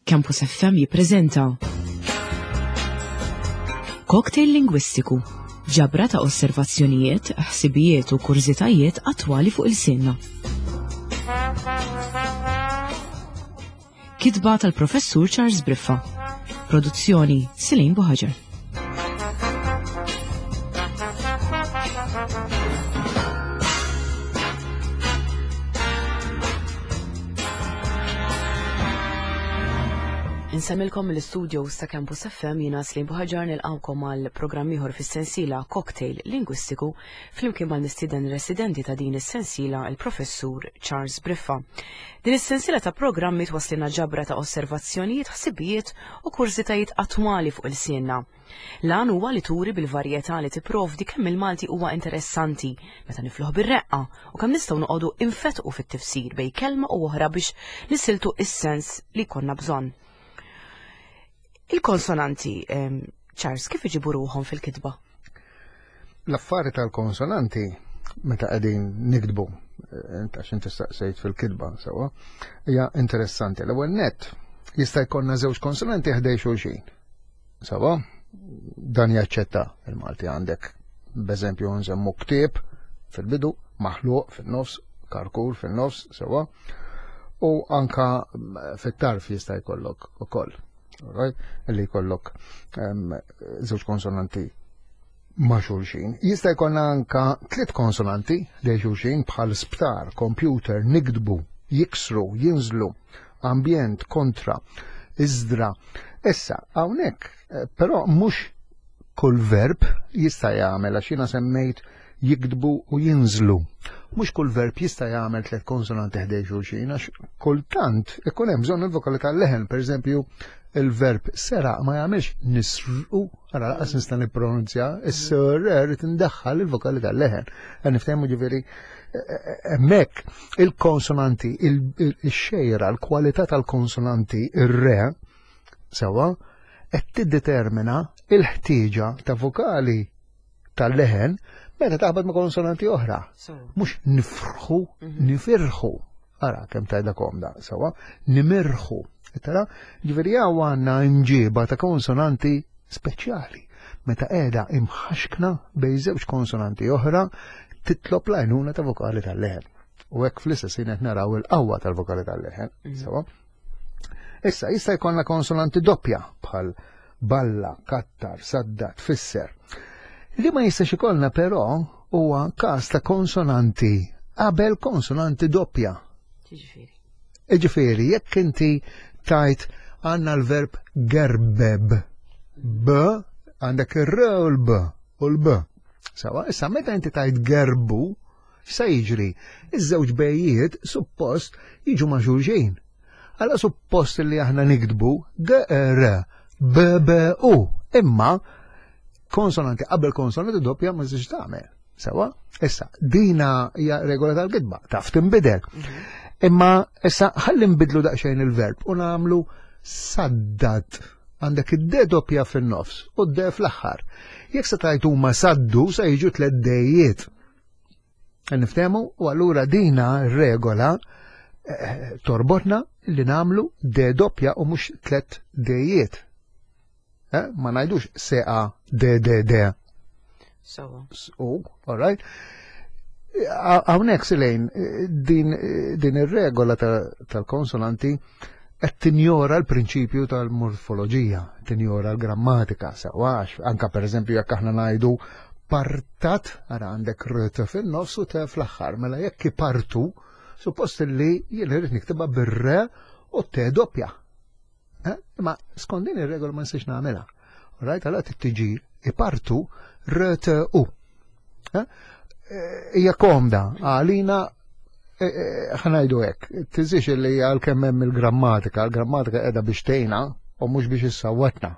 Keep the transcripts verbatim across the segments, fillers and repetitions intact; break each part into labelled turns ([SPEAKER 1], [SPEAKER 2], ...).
[SPEAKER 1] Campus F M jippreżenta Cocktail Lingwistiku, ġabra ta' osservazzjonijiet, ħsibijiet u kurżitajiet attwali fuq il-sinna. Kitba tal-Professur Charles Briffa. Produzzjoni Celine Buhaġar. Insemmilkom mill-studios ta' Campus F M jiena Celine Buhaġar nilqawkom għal programm ieħor fis-sensiela Cocktail Lingwistiku flimkien mal-mistieden residenti ta' din is-sensiela il-Professur Charles Briffa. Din is-sensiela ta' programmi twaslilna ġabra ta' osservazzjonijiet, ħsibijiet u kurżitajiet attwali fuq il-sienna. L-għan huwa li turi bil-varjetà li tipprovdi kemm il-Malti huwa interessanti meta nifluh bir-reqqa u kemm nistgħu noqogħdu infetqu fit-tifsir bejn kelma u oħra biex nisiltu is-sens li konna bżonn. Il-konsonanti, ehm, Charles, kif iġibu ruħhom fil-kitba?
[SPEAKER 2] L-affari tal-konsonanti meta qegħdin nikdbu, int għax inti staqsejt fil-kitba sewwa, hija interessanti. L-ewwel nett jista' jkollna żewġ konsonanti ħdej xulxin. Sewwa, dan jaċċetta il-Malti għandek. B'eżempju nsemmu ktieb fil-bidu, maħluq fin-nofs, karkur fin-nofs, sewwa, u anka fit-tarf jista' jkollok ukoll. Right? Li jkollok, ehm, żewġ konsonanti ma' xulxin. Jista' jkollna anka tliet konsonanti li xulxin bħal sptar, computer, nikdbu, jiksru, jinżlu, ambjent, kontra, iżdra. Issa, hawnhekk, eh, però mhux kull verb jista' jagħmel għax jiena semmejt jikdbu u jinżlu. Mhux kull verb jista' jagħmel tliet konsonanti ħdej xulxin għax kultant ikun hemm bżonn il-vokali tal-leħen, pereżempju il-verb seraq ma jagħmilx nisrqu, ara laqas nista' nippronunzja, is-sr tindaħħal il-vokali tal-leħen. Qed niftehmu ġifieri hemmhekk il-konsonanti, il-xejra, l-kwalità tal-konsonanti, ir-re, sewwa, qed tiddetermina il-ħtieġa ta' vokali tal-leħen meta taħbad ma' konsonanti oħra. Mhux nifrħu,
[SPEAKER 1] Mhm.
[SPEAKER 2] nifirħu. Ara kemm tajda komda, sewwa, nimirħu. Tara, ġifieri hawn għandna imġiba ta' konsonanti speċjali. Meta qiegħda imħaxkna bejn żewġ konsonanti oħra titlob l-għajnuna ta' vokali tal-leħen. U hekk fl-istess ħin qed naraw il-qawwa tal-vokali tal-leħen,
[SPEAKER 1] Mhm.
[SPEAKER 2] sewwa. Issa jista' jkollna konsonanti doppja bħal balla, kattar, sadda, tfisser. Li ma jistax ikollna però huwa każ ta' konsonanti qabel konsonanti doppja.
[SPEAKER 1] Ġifieri.
[SPEAKER 2] Ġifieri, jekk inti tajt għandna l-verb gerbeb, b, għandek ir-r u l-b u l-b. Sawa, issa meta inti tajt gerbu, x'sa jiġri? Iż-żewġ bejjiet suppost jiġu ma' xulxin. Alla suppost li aħna nikdbu G R B B U, imma konsonanti qabel konsonanti doppja ma tistax tagħmel. Sawa, issa dina hija regola tal-kitba, taf tinbidel.
[SPEAKER 1] Mhm.
[SPEAKER 2] Imma issa ħalli nbidlu daqsxejn il-verb u nagħmlu saddat. Għandek id-D doppja fin-nofs u d-D fl-aħħar. Jekk se tajt huma saddu se jiġu tliet dejiet. Niftehmu u allura dina regola, eh, torbotna li nagħmlu D doppja u mhux tliet dejiet. Eh, ma ngħidux S A D D D.
[SPEAKER 1] Sawa.
[SPEAKER 2] S U, all right. Hawnhekk Silejn, din, din ir-regola ta-, tal-konsonanti qed tinjora l-prinċipju tal-morfoloġija, tinjora l-grammatika, sewwa, anka pereżempju jekk aħna ngħidu partat, ara għandek r t fin-nofs u t fl-aħħar, mela jekk ipartu, suppost li jien irid niktibha bir-re u t doppja. Eh? Imma skont din ir-regola ma nistax nagħmilha. All right, allora tiġi ipartu r t u. Eh? Hija komda għalina, eh, eh, ħanajdu hekk, tiżix li għalkemm hemm il-grammatika, il-grammatika qiegħda biex tgħinna u mhux biex issawwatna.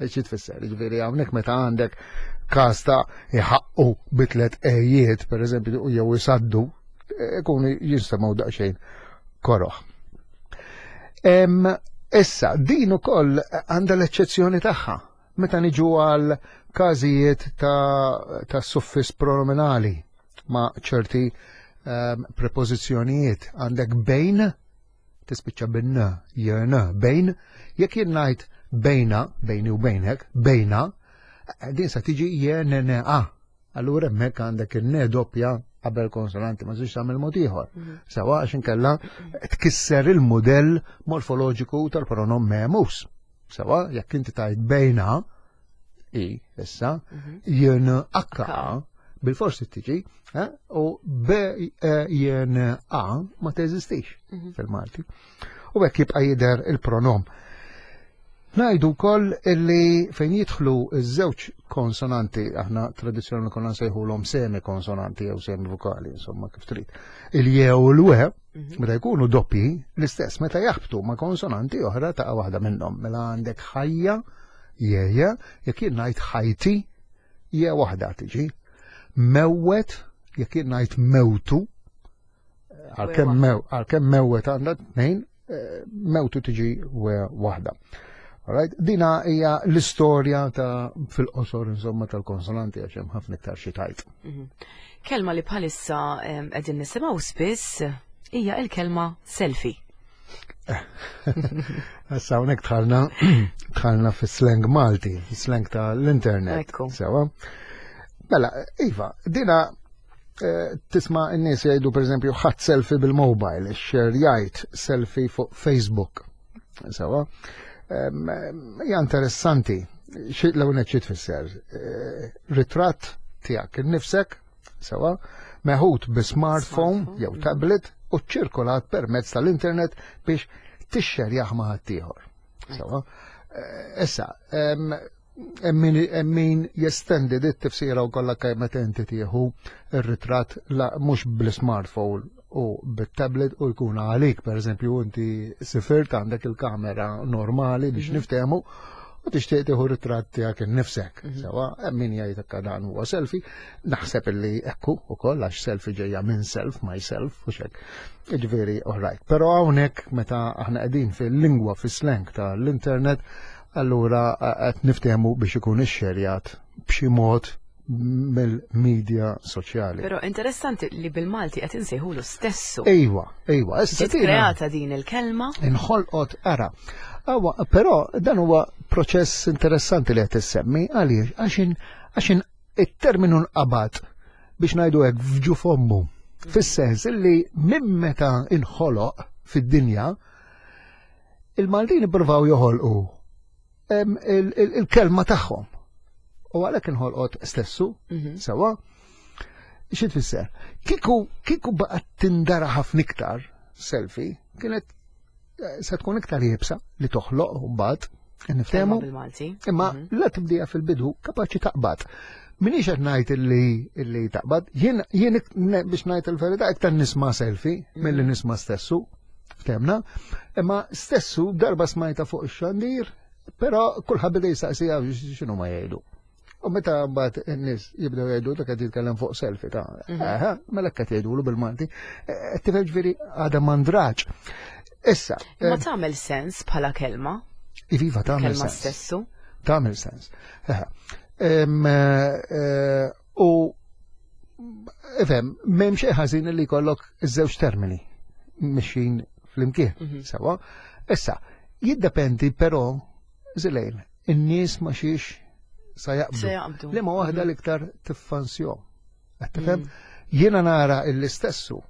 [SPEAKER 2] Xi tfisser? Jiġifieri hawnhekk meta għandek każ ta' iħaqqu bi tliet ejiet, pereżempju, jew isaddu, ikunu jinsemgħu daqsxejn koroħ. Em, issa, din ukoll għandha l-eċċezzjoni tagħha. Meta niġu għal każijiet ta', ta' suffis pronominali ma' ċerti, ehm, prepożizzjonijiet, għandek bejn Tispiċċa bin-n, jen, bejn, jekk jien ngħid bejna, bejni u bejnek, bejna, din sa tiġi jen, n, a. Allura hemmhekk għandek in-n doppja qabel konsonanti, ma tistax tagħmel mod ieħor. Sawa, għax inkella tkisser il-mudell morfoloġiku tal-pronom me mus. Sawa, jekk inti tajt bejna, i, issa, jen akka, bil-forsi tiġi, eh, u b e, jen a ma teżistix fil-Malti. U hekk jibqa' jidher il-pronom. Ngħidu wkoll illi fejn jidħlu iż-żewġ konsonanti, aħna tradizzjonali konna nsejħulhom semi konsonanti jew semi vokali, insomma, kif trid. Il-je u l-we, meta jkunu doppi, l-istess, meta jaħbtu ma' konsonanti oħra ta' waħda minnhom. Mela għandek ħajja, jeja, jekk jien ngħid ħajti, je waħda tiġi. Mewwet, jekk jien ngħid mewtu, għalkemm mew, għalkemm mewwet għandha tnejn, eh, mewtu tiġi we waħda. Alright, dina hija l-istorja ta' fil-qosor, insomma, tal-konsonanti, għax hemm ħafna iktar xi tajt.
[SPEAKER 1] Kelma li bħalissa em, qegħdin nisimgħu spiss hija il-kelma selfie.
[SPEAKER 2] Issa hawnhekk dħalna dħalna fis-slang Malti, fis-slang tal-internet.
[SPEAKER 1] Ekku.
[SPEAKER 2] Sewa. Mela, iva, dina eh, tisma' n-nies jgħidu, pereżempju, ħadt selfie bil-mobile, xerjajt selfie fuq Facebook. Sewa. Em, Hija interessanti. Xi l-ewwel xi tfisser? Eh, Ritratt tiegħek innifsek, sewa, meħud bi smartphone
[SPEAKER 1] Smartphone,
[SPEAKER 2] jew tablet u ċirkolat permezz tal-internet biex tixxerjah ma' ħaddieħor. Sewa. Eh, Issa, em, hemm min- min jestendi dit tifsira u kollha kemm meta inti tieħu ir-ritratt la mhux bl-smartphone u bit-tablet u jkun għalik, pereżempju, inti sifirt, għandek il-kamera normali biex niftehmu u tixtieq tieħu ritratt tiegħek innifsek. Sewa, hemm min jgħid hekk, dan huwa selfie, naħseb illi ekku ukoll, għax selfie ġejja minn self, myself u xek. Ġifieri, all right. Però hawnhekk meta aħna qegħdin fil-lingwa, fis-slang tal-internet, allura qed niftehmu biex ikun ixxerjat b'xi mod mill-medja soċjali.
[SPEAKER 1] Però interessanti li bil-Malti qed insejħulu stessu.
[SPEAKER 2] Ejwa, ejwa, issa
[SPEAKER 1] Ġiet
[SPEAKER 2] dina
[SPEAKER 1] kreata din il-kelma.
[SPEAKER 2] Inħolqot, ara. Awa, però dan huwa proċess interessanti li qed issemmi, għaliex għaxin għaxin it-terminu nqabad, biex ngħidu hekk, f'ġuf ommu. Fis-sens illi minn meta inħoloq fid-dinja, il-Maltin ippruvaw joħolqu em, il- il- il-kelma tagħhom. U għalhekk inħolqot stessu,
[SPEAKER 1] Mhm.
[SPEAKER 2] sewa. Xi tfisser? Kiku kiku baqgħet tindara ħafna iktar selfie, kienet eh, se tkun iktar iebsa li toħloq mbagħad niftehmu.
[SPEAKER 1] Kelma bil-Malti.
[SPEAKER 2] Imma
[SPEAKER 1] Mhm.
[SPEAKER 2] la tibdija fil-bidu kapaċi taqbad. Minix qed ngħid illi illi taqbad, jien jien ik- ne- biex ngħid il-verità iktar nisma' selfie milli nisma' stessu, ftemna, imma stessu darba smajta fuq ix-xandir, però kulħadd beda jistaqsija x'inhu ma jgħidu. U meta mbagħad in-nies jibdew jgħidu dak qed jitkellem fuq selfie ta' eh, mela qed jgħidulu bil-Malti. Eh, Tifhem, ġifieri għadha mandraġ. Issa,
[SPEAKER 1] Ma tagħmel sens bħala kelma,
[SPEAKER 2] iviva, tagħmel
[SPEAKER 1] kelma
[SPEAKER 2] sens.
[SPEAKER 1] stessu.
[SPEAKER 2] Tagħmel sens. Eħe. Em, eh, U ifhem, m'hemm xejn ħażin li jkollok iż-żewġ termini mixin flimkien.
[SPEAKER 1] Mhm.
[SPEAKER 2] Sewa. Issa, jiddependi però zilejn, in-nies ma xiex sa jaqbdu.
[SPEAKER 1] Se jaqbdu.
[SPEAKER 2] Li ma waħda l-iktar tiffansjom. Qed tifhem?
[SPEAKER 1] Mm.
[SPEAKER 2] Jiena nara l-istessu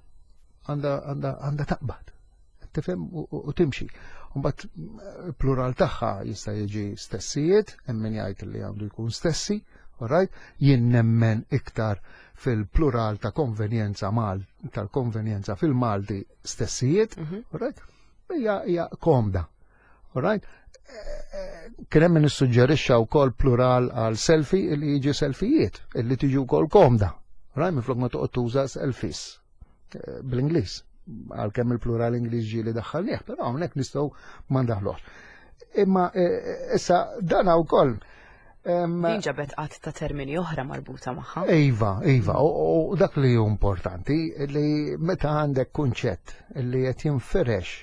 [SPEAKER 2] għandha għandha għandha taqbad. Qed tifhem, u- u u timxi. Mbagħad plural tagħha jista' jiġi stessijiet, hemm min jgħid li għandu jkun stessi, alright? Jien nemmen iktar fil-plural ta' konvenjenza mal tal-konvenjenza fil-Malti stessijiet,
[SPEAKER 1] Mhm.
[SPEAKER 2] alright? Hija hija komda. Alright? Kien hemm min issuġġerixxa wkoll plural għal selfie li jiġi selfijiet, illi tiġi wkoll komda. Right? Minflok ma toqgħod tuża selfies eh, bl-Ingliż. Għalkemm il-plural Ingliż ġieli daħħalnieh, però hawnhekk nistgħu ma ndaħluhx. Imma eh, issa dan wkoll em,
[SPEAKER 1] Din ġabet qatt ta' termini oħra marbuta magħha.
[SPEAKER 2] Iva, iva, u u dak li hu importanti li meta għandek kunċett li qed jinfirex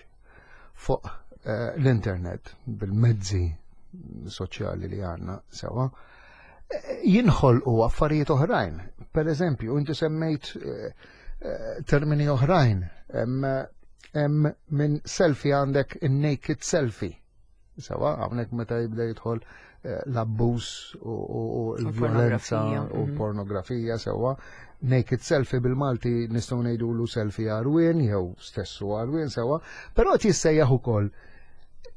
[SPEAKER 2] fuq eh, l-internet bil-mezzi soċjali li għandna sewa, eh, jinħolqu affarijiet oħrajn. Per eżempju, inti semmejt eh, eh, termini oħrajn, em, Hemm minn selfie għandek in-naked selfie. Sewa, hawnhekk meta jibda jidħol eh, l-abbuż u l-vjolenza u mhm. pornografija sewa. Naked selfie bil-Malti nistgħu ngħidulu selfie għarwien jew stessu għarwien sewa, però qed jissejjaħ ukoll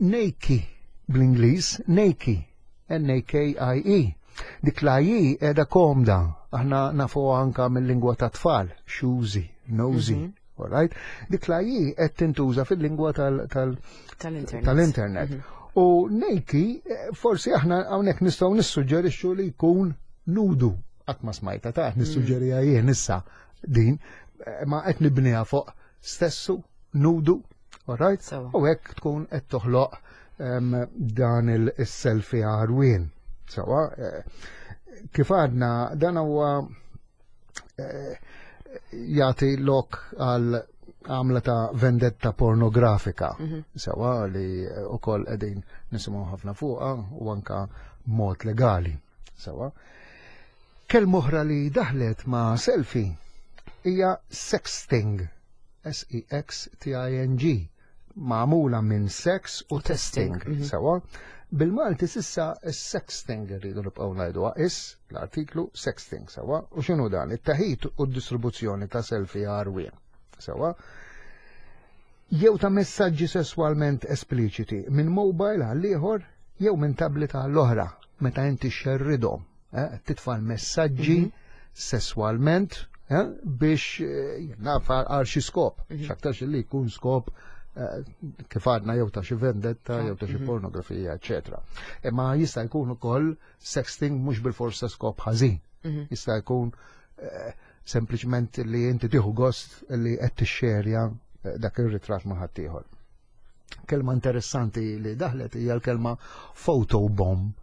[SPEAKER 2] nakey bl-Ingliż, nakey, N A K I E. Dik la I qiegħda komda, aħna nafu anka mill-lingwa ta' tfal, shoesy, nosy, mm -hmm. Alright? Dik la I qed tintuża fil-lingwa tal-internet. Mhm. U nakey, eh, forsi aħna hawnhekk nistgħu nissuġġerixxu li jkun nudu. Qatt ma smajta ta' nissuġġerija jien issa din, eh, ma qed nibniha fuq stessu, nudu, alright? U hekk tkun qed toħloq dan il-selfie għarwien. Sewa, eh, kif għadna, dan huwa jagħti lok għal għamla ta' vendetta pornografika. Mm -hmm. Sewa li ukoll qegħdin nisimgħu ħafna fuqha u anka mod legali. Sewa. Kelma oħra li daħlet ma' selfie hija sexting. S E X T I N G. Magħmula minn sex u testing. Mm -hmm. Sewa. Bil-Malti s'issa sexting rridu nibqgħu ngħidu is l-artiklu sexting sewa. U x'inhu dan? It-teħid u d-distribuzzjoni ta' selfie għarwien. Sewa. Jew ta' messaġġi sesswalment espliċiti minn mobile għal ieħor jew minn tablet għall oħra meta inti xerridhom, eh, titfa' messaġġi mm -hmm. sesswalment eh, biex eh, naf għal xi skop, mm -hmm. x'aktarx li jkun skop eh, kif għadna jew ta' xi vendetta, jew ta' xi mhm. pornografija, eċetera. Imma jista' jkun ukoll sexting mhux bil-forsa skop ħażin. Mhm. Jista' jkun eh, sempliċement li inti tieħu gost li qed tixxerja eh, dak ir-ritratt ma' ħaddieħor. Kelma interessanti li daħlet hija l-kelma photobomb.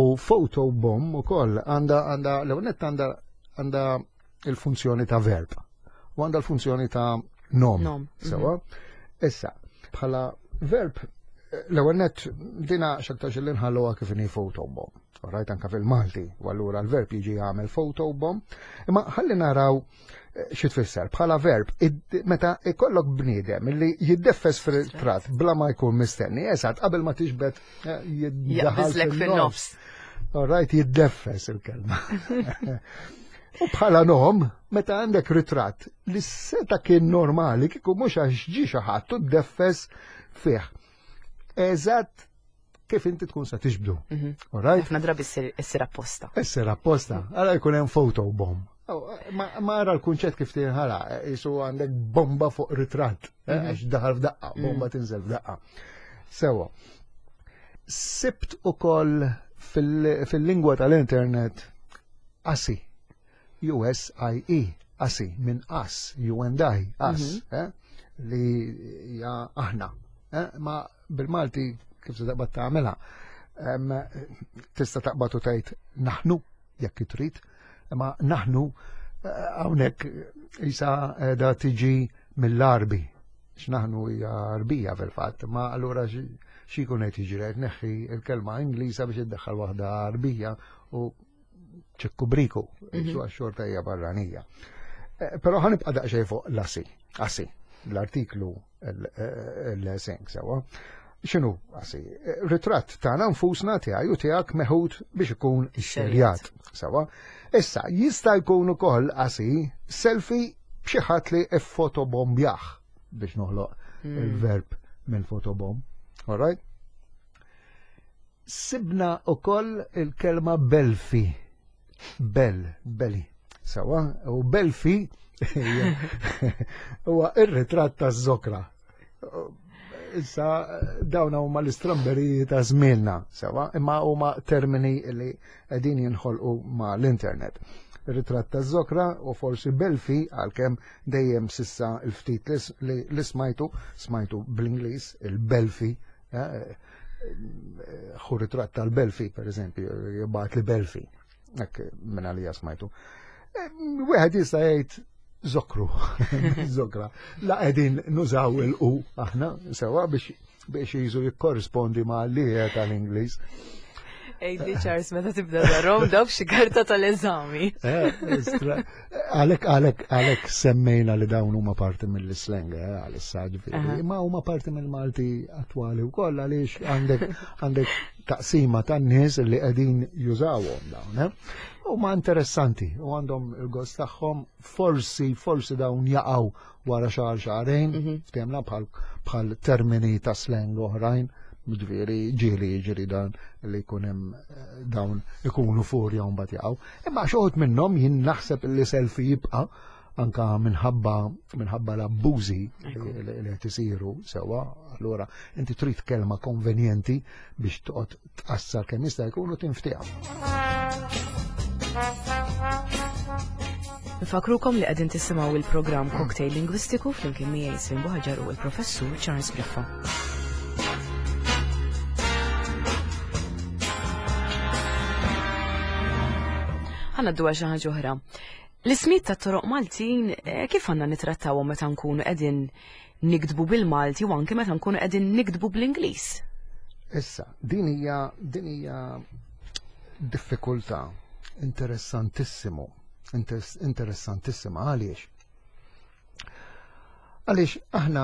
[SPEAKER 2] U photobomb ukoll għandha għandha l-ewwel għandha għandha il-funzjoni ta' verb u għandha l-funzjoni ta' nom. Nom. Sewa. Issa, bħala verb, l-ewwel net dina x'aktarx li nħalluha kif inhi photobomb. Rajt anka fil-Malti, u allura l-verb jiġi jagħmel photobomb. Imma ħalli naraw eh, xi tfisser bħala verb meta ikollok bniedem li jiddeffes fil-ritratt bla ma jkun mistenni, eżatt qabel ma tiġbed eh,
[SPEAKER 1] jiddaħal fin-nofs.
[SPEAKER 2] All right, jiddeffes il-kelma. U bħala nom, meta għandek ritratt li seta kien normali kieku mhux għax ġi xi ħadd u ddeffes fih. Eżatt kif inti tkun sa tiġbdu.
[SPEAKER 1] Mhm. All right? Ħafna drabi issir apposta.
[SPEAKER 2] Issir apposta. Għala jkun hemm photobomb. Ma ara l-kunċett kif tinħala, jisu għandek bomba fuq ritratt, eh, mhm. għax daħal f'daqqa, bomba mhm. tinżel f'daqqa. Sewa. Sibt ukoll fil-lingwa tal-internet asi, U S I E, asi, minn us, you and I, us, mhm. eh, li hija aħna. Eh, ma bil-Malti kif se taqbad tagħmilha? Tista' taqbad u tgħid naħnu jekk trid, ma naħnu eh, hawnhekk isa da tiġi mill-Arbi. X'naħnu hija Arbija fil-fatt, ma allura xi jkun qed jiġri qed neħħi il-kelma Ingliża biex iddaħħal waħda Arbija u ċekku briku, mhm. su xorta hija barranija. Eh, però ħa nibqa' daqsxejn fuq l-asi, asi, l-artiklu l-seng sewa. X'inhu asi? Ritratt tagħna nfusna tiegħi u tiegħek meħud biex ikun ixxerjat. Sewa. Issa, jista' jkun ukoll asi selfie b'xi ħadd li ffotobombjah biex noħloq hmm. il-verb minn photobomb. All right? Sibna ukoll il-kelma belfi. Bel, beli. Sewa, u belfi huwa ir-ritratt taż-żokra. Issa dawn huma l-istramberiji ta' żmienna, sewa, imma huma termini li qegħdin jinħolqu ma' l-internet. Ritratt ta' żokra u forsi belfi għalkemm dejjem s'issa il-ftit li smajtu, smajtu bl-Ingliż, il-belfi, eh, ħu ritratt tal-belfi, per eżempju, jibgħat li belfi, hekk minn għalija smajtu. Eh, wieħed jista' jgħid zokru, zokra. La qegħdin nużaw il-u aħna sewa biex biex jiżu jikkorrispondi ma' li tal-Ingliż.
[SPEAKER 1] Ejdi Charles, meta tibda darhom dawk xi karta tal-eżami.
[SPEAKER 2] Għalek, għalek, għalek semmejna li dawn huma parti mill-slang, għalissa ġifieri, imma huma parti mill-Malti attwali wkoll għaliex għandek għandek taqsima tan-nies li qegħdin jużawhom dawn. Huma interessanti u għandhom il-gost tagħhom, forsi forsi dawn jaqgħu wara xahar xahrejn, ftehmna bħal termini ta' slang oħrajn. Ġifieri ġieli jiġri dan li jkun hemm dawn ikunu furja u mbagħad jaqgħu. Imma xi wħud minnhom jien naħseb li selfie jibqa' anka minħabba minħabba l-abbużi li qed isiru sewwa. Allura inti trid kelma konvenjenti biex toqgħod tqassar kemm jista' jkun u tinftiha.
[SPEAKER 1] Nfakrukom li qegħdin tisimgħu il-programm Cocktail Lingwistiku flimkien miegħi Celine Buhagiar u l-Professur Charles Briffa. Ħa ngħaddu għal xi ħaġa oħra. L-ismijiet tat-toroq Maltin kif għandna nittrattawhom meta nkunu qegħdin niktbu bil-Malti u anke meta nkunu qegħdin niktbu bl-Ingliż?
[SPEAKER 2] Issa, din hija din hija diffikultà interessantissimu, interessantissima għaliex. Għaliex aħna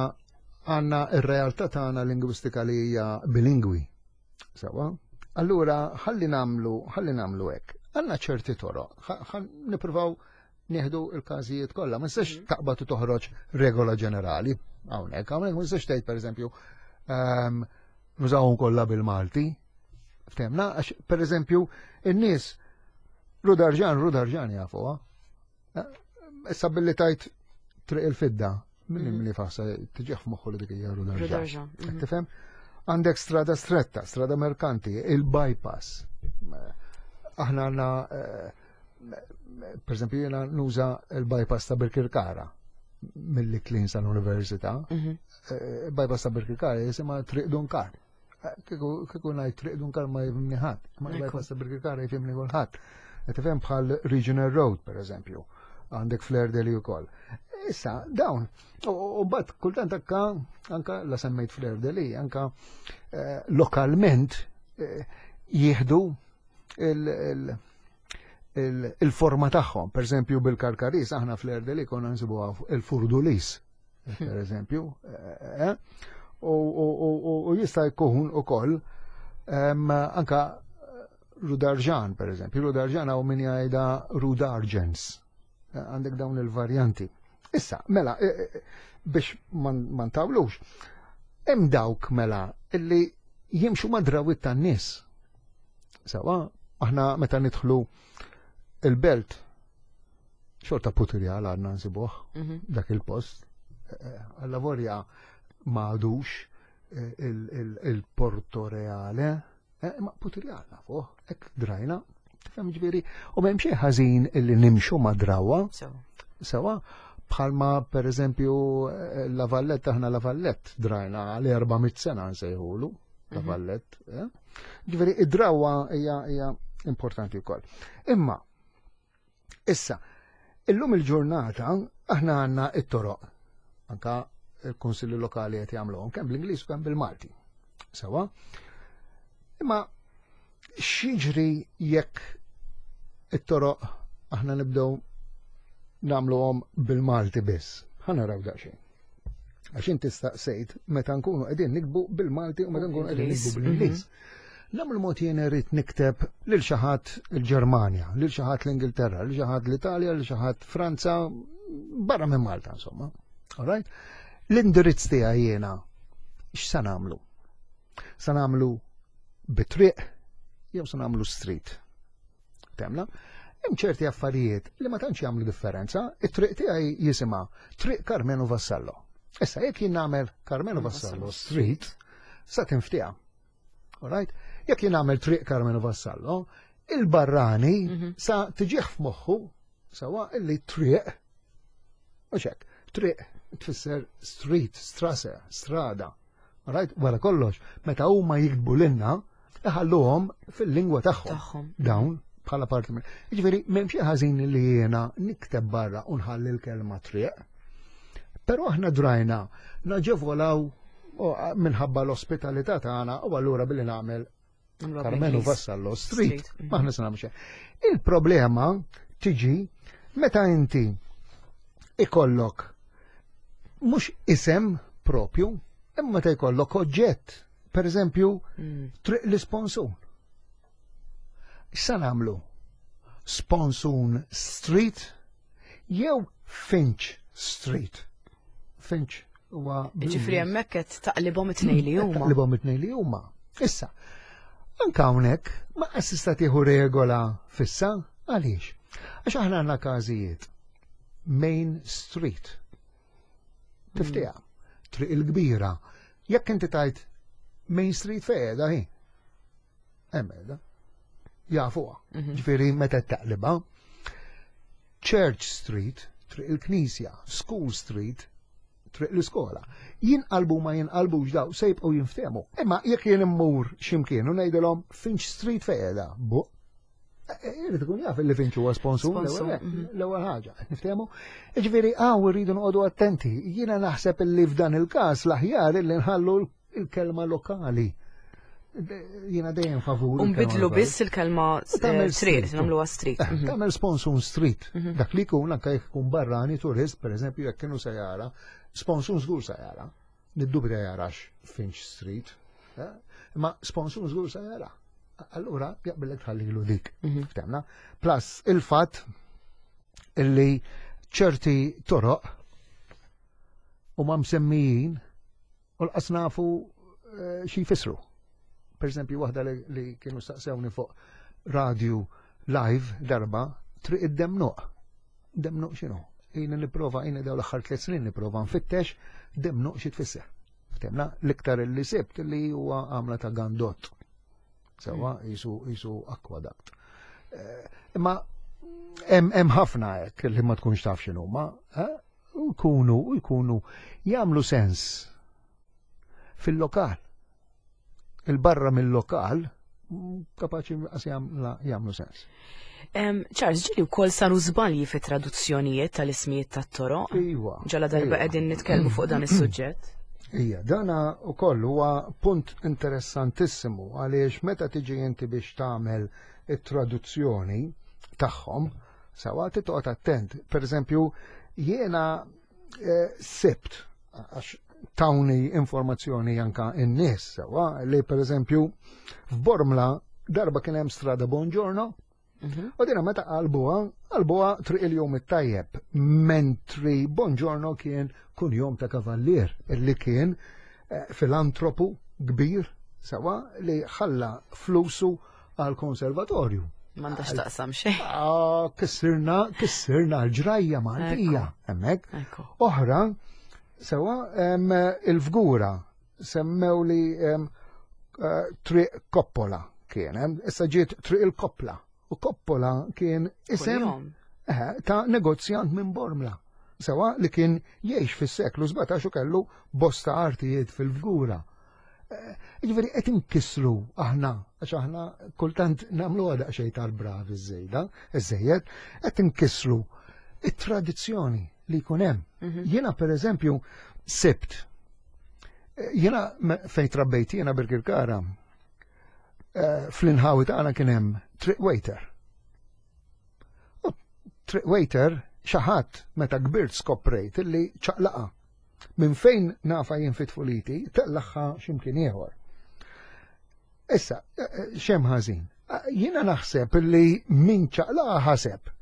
[SPEAKER 2] għandna r-realtà tagħna lingwistika li hija bilingwi. Sewwa? Allura ħalli nagħmlu ħalli nagħmlu hekk. Għanna ċerti toroq, nippruvaw nieħdu il-każijiet kollha, ma nistax taqbad u toħroġ regola ġenerali hawnhekk, hawnhekk ma nistax tgħid pereżempju nużawhom kollha bil-Malti. Ftemna, għax pereżempju in-nies Rudarġan, Rudarġan jafuha. Issa billi tajt Triq il-Fidda, minn li faħsa tiġih f'moħħu li dik hija Rudarġan. Tifhem? Għandek strada stretta, strada merkanti, il-bypass. Aħna għandna, per eżempju, jena nuża il-bypass ta' Birkirkara mill-Iklin sal-Università. Bypass ta' Birkirkara jisimha Triq Dunkar. Kieku ngħid Triq Dunkar ma jifhimni ħadd, ma bypass ta' Birkirkara jifhimni kulħadd. Tifhem bħal Regional Road, per eżempju, għandek Fleur de Lys ukoll. Issa, dawn, u mbagħad kultant anka anka la semmejt Fleur de Lys, anka lokalment jieħdu il-forma tagħhom. Per eżempju bil-Karkaris aħna Fleur de Lys konna nsibuha il-Furdulis, per eżempju, u jista' jkun ukoll anka Rudarġan, per eżempju, Rudarġan hawn min jgħidha Rudarġens. Għandek dawn il-varjanti. Issa, mela, biex ma ntawlux, hemm dawk mela illi jimxu ma' drawit tan-nies. Sawa, aħna meta nidħlu il-belt, xorta Putirjal għadna nsibuh dak il-post. Alla vorja ma għadux il-Porto Reale, ma Putirjal nafuh, hekk drajna, tifhem ġifieri, u m'hemm xejn ħażin illi nimxu ma' drawa. Sawa, bħalma per eżempju La Valletta, aħna La Valletta drajna għal erba' mitt sena nsejħulu La Valletta. Ġifieri id-drawa hija importanti wkoll. Imma issa, illum il-ġurnata aħna għandna it-toroq. Anka il-kunsilli lokali qed jagħmluhom kemm bl-Ingliż u kemm bil-Malti. Sawa? Imma x'jiġri jekk it-toroq aħna nibdew nagħmluhom bil-Malti biss? Ħa naraw daqsxejn. Għax inti staqsejt meta nkunu qegħdin nikbu bil-Malti u meta nkunu qegħdin nikbu bl-Ingliż. Nagħmlu mod jien irid nikteb lil xi ħadd il-Ġermanja, lil xi ħadd l-Ingilterra, lil xi ħadd l-Italja, lil xi ħadd Franza, barra minn Malta insomma. All right? L-indirizz tiegħi jiena x'sa nagħmlu? Sa nagħmlu bitriq jew sa nagħmlu street. Temna? Hemm ċerti affarijiet li ma tantx jagħmlu differenza, it-triq tiegħi jisimha Triq Karmenu Vassallo. Issa jekk jien nagħmel Karmenu Vassallo Street, sa tinftiha. All right? Jekk jien nagħmel Triq Karmenu Vassallo, il-barrani sa tiġih f'moħħu sawa illi triq u hekk, triq tfisser street, strase, strada. All right? Wara kollox, meta huma jiktbu lilna, iħalluhom fil-lingwa tagħhom. Dawn bħala parti minn. Jiġifieri m'hemm xi ħażin li jiena nikteb barra u nħalli l-kelma triq. Però aħna drajna naġevolaw minħabba l-ospitalità tagħna u allura billi nagħmel Karmenu Vassallo Street. Mm. Maħna se nagħmlu. Il-problema tiġi meta inti ikollok mhux isem propju, imma ta' jkollok oġġett. Per eżempju, mm. Triq l-Isponsun. X'sa nagħmlu? Sponsun Street jew Finch Street? Finch huwa.
[SPEAKER 1] Ġifieri hemmhekk qed taqlibhom it-tnejn li huma.
[SPEAKER 2] Taqlibhom it-tnejn li huma. Issa, anke hawnhekk ma tista' tieħu regola fissa, għaliex? Għax aħna għandna każijiet. Main Street. Tiftiha. Triq il-kbira. Jekk inti tajt Main Street fejn qiegħda hi? Hemm qiegħda. Jafuha. Mhm. Ġifieri meta taqliba. Church Street, triq il-Knisja, School Street, triq l-iskola. Jinqalbu ma jinqalbux daw se jibqgħu jinftehmu. Imma jekk jien immur x'imkien u ngħidilhom Finch Street fejn qiegħda, bu. Irid ikun jaf li Finch huwa sponsor mhm. l-ewwel ħaġa, niftehmu. Ġifieri hawn irridu noqogħdu attenti. Jiena naħseb illi f'dan il-każ l-aħjar illi nħallu il-kelma lokali. Jiena dejjem favur.
[SPEAKER 1] Unbidlu biss il-kelma eh, street, nagħmluha street.
[SPEAKER 2] Eh, mhm. Tagħmel Sponsun Street. Mhm. Dak li jkun anke jekk ikun barrani turist, pereżempju jekk kienu se jara, Sponsun żgur se jara. Niddubita jarax Finch Street. Eh? Ma Sponsun żgur se jara. Allura jaqbillek tħallilu dik. Mhm. Ftehmna? Plus il-fatt illi ċerti toroq huma msemmijin u lanqas nafu xi jfissru. Per eżempju, waħda li, li kienu staqsewni fuq radio live darba, Triq id-Demnuq. Demnuq x'inhu? Jiena nipprova, jiena daw l-aħħar tliet snin nipprova nfittex demnuq xi tfisser. Ftehmna, l-iktar li sibt li huwa għamla ta' gandott. Sewa, jisu jisu aqueduct. Eh, Imma hemm ħafna hekk li ma tkunx taf x'inhuma, eh? U jkunu u jkunu jagħmlu sens fil-lokal. Il-barra mill-lokal mm, kapaċi qas jagħmlu sens.
[SPEAKER 1] Charles, ġieli wkoll saru żbalji fi traduzzjonijiet tal-ismijiet tat-toroq.
[SPEAKER 2] Iva.
[SPEAKER 1] Ġala darba
[SPEAKER 2] iva.
[SPEAKER 1] qegħdin nitkellmu fuq dan is-suġġett.
[SPEAKER 2] Ija, dana u koll huwa punt interessantissimu għaliex meta tiġi inti biex tagħmel it-traduzzjoni tagħhom, sewa titoqgħod attent. Per eżempju, jiena eh, sibt għax tawni informazzjoni anka in-nies sewa li per eżempju f'Bormla darba kien hemm strada Buongiorno.
[SPEAKER 1] Mhm.
[SPEAKER 2] U dina meta qalbuha, qalbuha Triq il-Jum it-Tajjeb, mentri Buongiorno kien kunjom ta' kavallier illi kien eh, filantropu kbir sewa li ħalla flusu għal konservatorju.
[SPEAKER 1] M'għandax taqsam xejn.
[SPEAKER 2] Ah, kissirna, kissirna l-ġrajja Maltija, hemmhekk.
[SPEAKER 1] Ekku.
[SPEAKER 2] Oħra, sewa em, il-Fgura semmew li em, eh, Triq Coppola kien, em, issa ġiet Triq il-Koppla. U Coppola kien isem
[SPEAKER 1] Kuljum.
[SPEAKER 2] eh, ta' negozjant minn Bormla. Sewa li kien jgħix fis-seklu sbatax u kellu bosta artijiet fil-Fgura. Eh, Ġifieri qed inkissru aħna, għax aħna kultant nagħmlu daqsxejn tal-bravi żejda, iżejjed, qed inkissru it-tradizzjoni li jkun hemm.
[SPEAKER 1] Mhm.
[SPEAKER 2] Jiena per eżempju sibt, eh, jiena me- fejn trabbejt jiena Birkirkara, eh, fl-inħawi tagħna kien hemm triq waiter. U triq waiter xi ħadd meta kbirt skoprejt illi ċaqlaqa. Minn fejn nafa jien fit-tfuliti, tellagħha x'imkien ieħor. Issa, eh, eh, xem ħażin. Eh, Jiena naħseb illi min ċaqlaqa ħaseb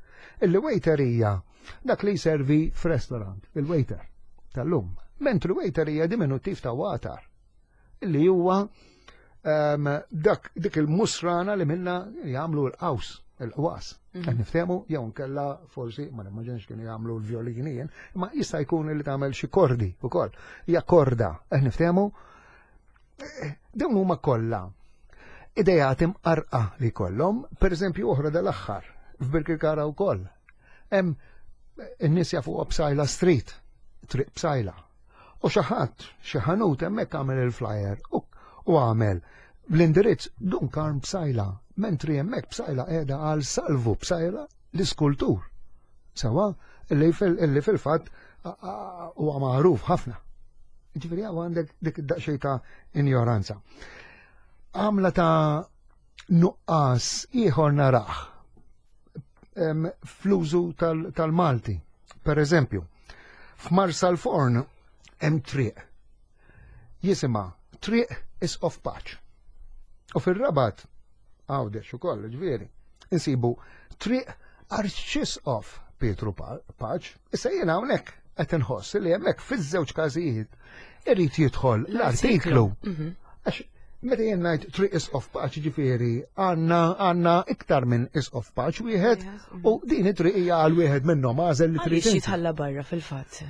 [SPEAKER 2] illi waiter hija dak li jservi f'restaurant, il-waiter tal-lum. Mentri waiter hija diminutiv ta' watar, illi huwa um, dak dik il-musrana li minna jagħmlu l-qaws, il-qwas. Qed niftehmu jew nkella forsi ma nimmaġinx kienu jagħmlu l-violini jien, imma jista' jkun li tagħmel xi kordi wkoll. Hija korda, qed niftehmu. Eh, Dawn huma kollha idejat imqarqa li kollhom, per eżempju oħra dal-aħħar f'Birkirkara wkoll. Hemm in-nies jafu Psaila Street, Triq Psaila. U xi ħadd, xi ħanut hemmhekk għamel il-flyer u u għamel l-indirizz Dun Karm Psaila, mentri hemmhekk Psaila qiegħda għal Salvu Psaila l-iskultur. Sewa, illi fil- illi fil-fatt huwa magħruf ħafna. Ġifieri hawn għandek dik id-daqsxejn ta' injoranza. Għamla ta' Nuqqas ieħor narah fl-użu tal-Malti. Per eżempju, f'Marsalforn hemm triq. Jisimha Triq Isqof Paċ. U fir-Rabat, Għawdex ukoll, ġifieri, insibu Triq Arċisqof Pietru Paċ. Issa jiena hawnhekk qed inħoss li hemmhekk fiż-żewġ każijiet irid jidħol l-artiklu. Mhm. Għax meta jien ngħid Triq Isqof Paċ, ġifieri għandna għandna iktar minn Isqof Paċ wieħed mhm. u din it-triq hija għal wieħed minnhom, għażel li triq.
[SPEAKER 1] Jitħalla barra fil-fatt.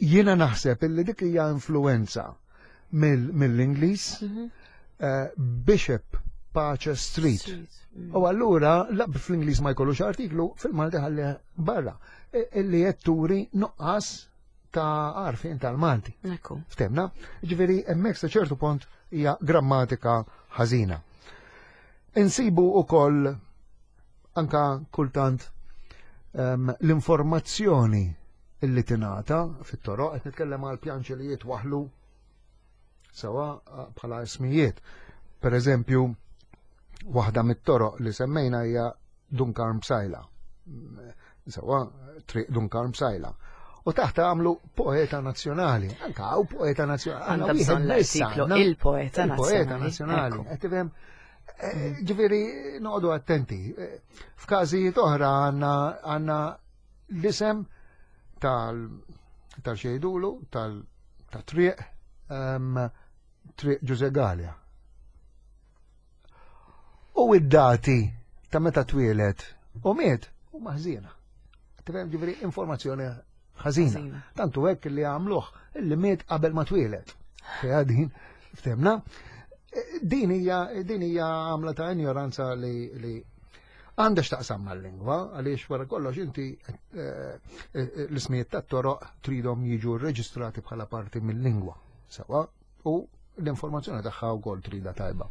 [SPEAKER 2] Jiena naħseb illi dik hija influenza mill-Ingliż, mhm. eh, Bishop Pace Street. Mm. U allura, fl-Ingliż ma jkollux artiklu, fil-Malti ħalli barra. E, illi qed turi nuqqas ta' għarfien tal-Malti.
[SPEAKER 1] Ekku.
[SPEAKER 2] Ftemna? Ġifieri hemmhekk sa ċertu punt hija grammatika ħażina. Insibu ukoll anka kultant um, l-informazzjoni illi tingħata fit-toroq, qed nitkellem għal pjanċi li jitwaħlu sewa bħala ismijiet. Per eżempju, waħda mit-toroq li semmejna hija Dun Karm Psaila. Sewa, Triq Dun Karm Psaila. U taħt għamlu poeta nazzjonali. Anka hawn poeta nazzjonali.
[SPEAKER 1] Għandha bżonn l-artiklu il-poeta nazzjonali.
[SPEAKER 2] Il-poeta nazzjonali. Qed tifhem? Eh, ġifieri noqogħdu attenti. Eh, f'każijiet oħra għandna għandna l-isem tal tal-xejdulu, tal-triq, ehm, Triq Ġuże Galea. U id-dati ta' meta twieled u miet u maħżina. Tifhem, ġifieri informazzjoni ħażina. Tantu hekk li għamluh illi miet qabel ma twieled. Fiha din, ftemna. Din hija din hija għamla ta' ignoranza li li għandha x'taqsam mal-lingwa, għaliex wara kollox inti eh, eh, l-ismijiet tat-toroq tridhom jiġu rreġistrati bħala parti mill-lingwa. Sewa, u l-informazzjoni tagħha wkoll trida tajba.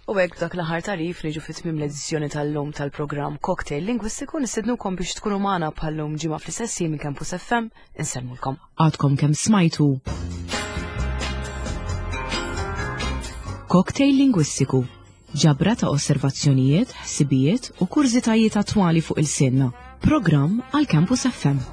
[SPEAKER 1] U hekk b'dak l-aħħar tarif niġu fi tmiem l-edizzjoni tal-lum tal-programm Cocktail Lingwistiku. Nistednukom biex tkunu magħna bħal-lum ġimgħa fl-istess minn Campus F M. Insellmulkom. Għadkom kemm smajtu Cocktail Lingwistiku, ġabra ta' osservazzjonijiet, ħsibijiet u kurżitajiet attwali fuq il-sinna. Programm għal Campus F M.